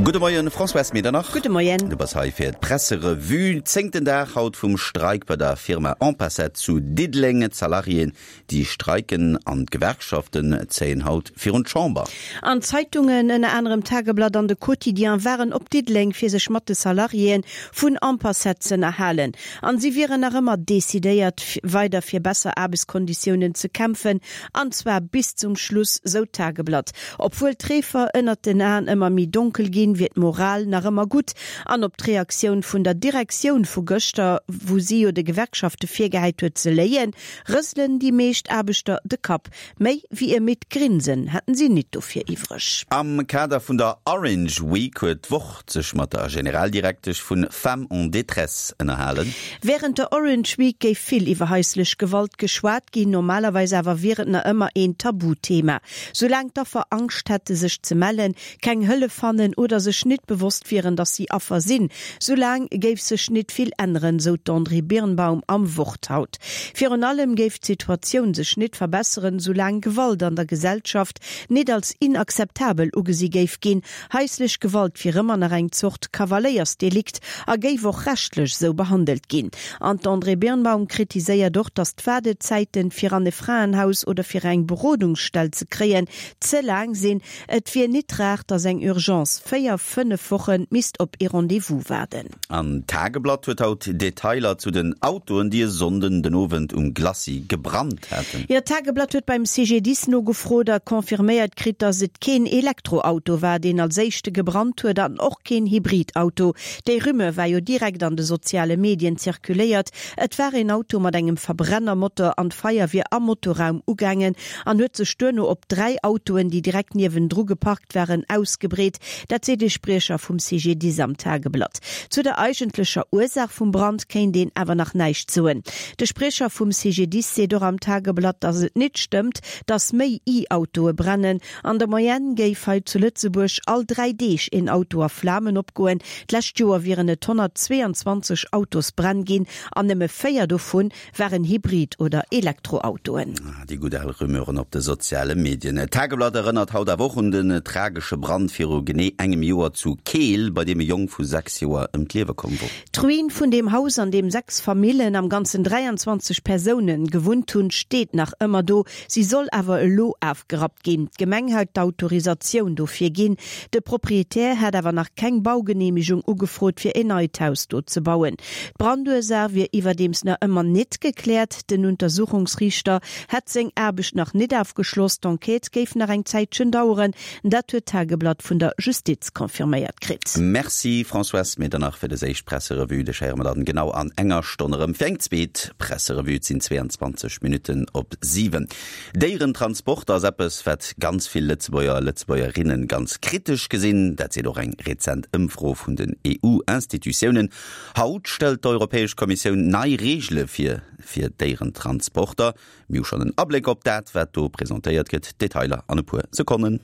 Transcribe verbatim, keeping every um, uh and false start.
Gudde Moien, Françoise Medernach. Gudde Moien. Du bass hei fir d'Presserevue. Zéngten Dag haut vum Streik bei der Firma Ampacet zu Diddeleng. D'Salariéen, déi streiken an d'Gewerkschaften zéien haut virun d'Chamber. An d'Zeitungen, ënner anerem d'Tageblatt an de Quotidien, waren op Diddeleng, fir sech mat de Salariéen vun Ampacet z'ënnerhalen. An si wieren nach ëmmer decidéiert, weider fir besser Aarbechtskonditiounen ze kämpfen, an zwar bis zum Schluss, sou d'Tageblatt. Obwuel d'Reefer ënnert den Aen ëmmer méi donkel ginn, wier d'Moral nach ëmmer gutt. An op d'Reaktioun vun der Direktioun vu gëschter, wou si jo de Gewerkschafte virgehäit huet ze léien, rëselen déi meescht Aarbechter de Kapp. Méi wéi e midd Grinsen hätten si nit dofir iwwreg. Am Kader vun der Orange Week huet d'Wort sech mat der Generaldirektesch vu Femmes en détresse ënnerhalen. Wärend der Orange Week géif vill iwwer haislech Gewalt geschwat ginn, normalerweis awer wier et nach ëmmer een Tabuthema. Soulaang d'Affer Angscht hätte sech ze mellen, keng Hëllef fannen oder sech nit bewosst wieren, datt si Affer sinn, soulaang géif sech nit vill änneren, sou d'Andrée Birnbaum am Wort haut. Virun allem géif d'Situatioun sech nit verbesseren, soulaang Gewalt an der Gesellschaft nit als inakzeptabel ugesi géif ginn. Haislech Gewalt wier ëmmer nach eng Zort Kavaléiersdelikt a géif och rechtlech sou behandelt ginn. An d'Andrée Birnbaum kritiséiert och, datt d'Waardezäiten, fir an e Fraenhaus oder fir eng Berodungsstell ze kréien, ze laang sinn. Et wier nit rar, datt eng Urgence véier, fënnef Woche misst op ee Rendez-vous waarden. An d'Tageblatt huet haut Detailer zu den Autoen, déi e Sonnden den Owend um Glacis gebrannt haten. Jo, d'Tageblatt huet beim C G D I S nogefrot a confirméiert kritt, datt et keen Elektroauto war, deen als éischte gebrannt huet an och keen Hybridauto. Déi Rumeur war jo direkt an de soziale Medien zirkuléiert. Et war een Auto mat engem Verbrennermotor an d'Feier wier am Motorraum ugaangen an huet sech duerno op dräi Autoen, déi direkt niewendru geparkt waren, ausgebreet. Dat seet ee Spriecher vum C G D I S am Tageblatt. Zu der eigentlecher Ursaach vum Brand kéint een awer nach näischt soen. De Spriecher vum C G D I S seet och am Tageblatt, datt et nit stëmmt, datt méi E-Autoe brennen. An der Moyenne géif hei zu Lëtzebuerg all dräi Deeg een Auto a Flamen opgoen. D'lescht Joer wieren et honnertzweeanzwanzeg Autosbränn ginn an nëmme véier dovun waren Hybrid oder Elektroautoen. Déi gutt al Rumeuren op de soziale Medien. D'Tageblatt erënnert haut awer och un den tragesche Brand viru genee engem Joer zu Keel, bei deem e Jong vu sechs Joer ëm d'Liewe komm wor. D'Ruin vun deem Haus, an deem sechs Famillen, am Ganzen dräianzwanzeg Persounen, gewunnt hunn, steet nach ëmmer do. Si soll awer elo afgerappt ginn. D'Gemeng hätt d'Autorisatioun dofir ginn. De Proprietär hätt awer nach keng Baugeneemegung ugefrot, fir en neit Haus do ze bauen. D'Brandursaach wier iwwerdeems nach ëmmer nit gekläert. Den Untersuchungsriichter hätt seng Aarbecht nach nit ofgeschloss, d'Enquête géif nach eng Zäitchen daueren. Dat huet d'Tageblatt vun der Justiz confirméiert kritt. Merci Françoise Medernach fir des éischt Presserevue. Dech héiere mer dann genau an enger Stonn erëm fir eng zweet Presserevue. Et sinn zweeanzwanzeg Minutten op siwen. Déierentransport ass eppes, wat ganz vill Lëtzebuerger a Lëtzebuergerinnen ganz kritesch gesinn. Dat seet och eng rezent Ëmfro vun den E U-Institutiounen. Haut stellt d'Europäesch Kommissioun nei Reegele vir fir Déierentransporter. Mir hu schonn en Abléck op dat, wat do presentéiert gëtt. Detailer an e puer Sekonnen.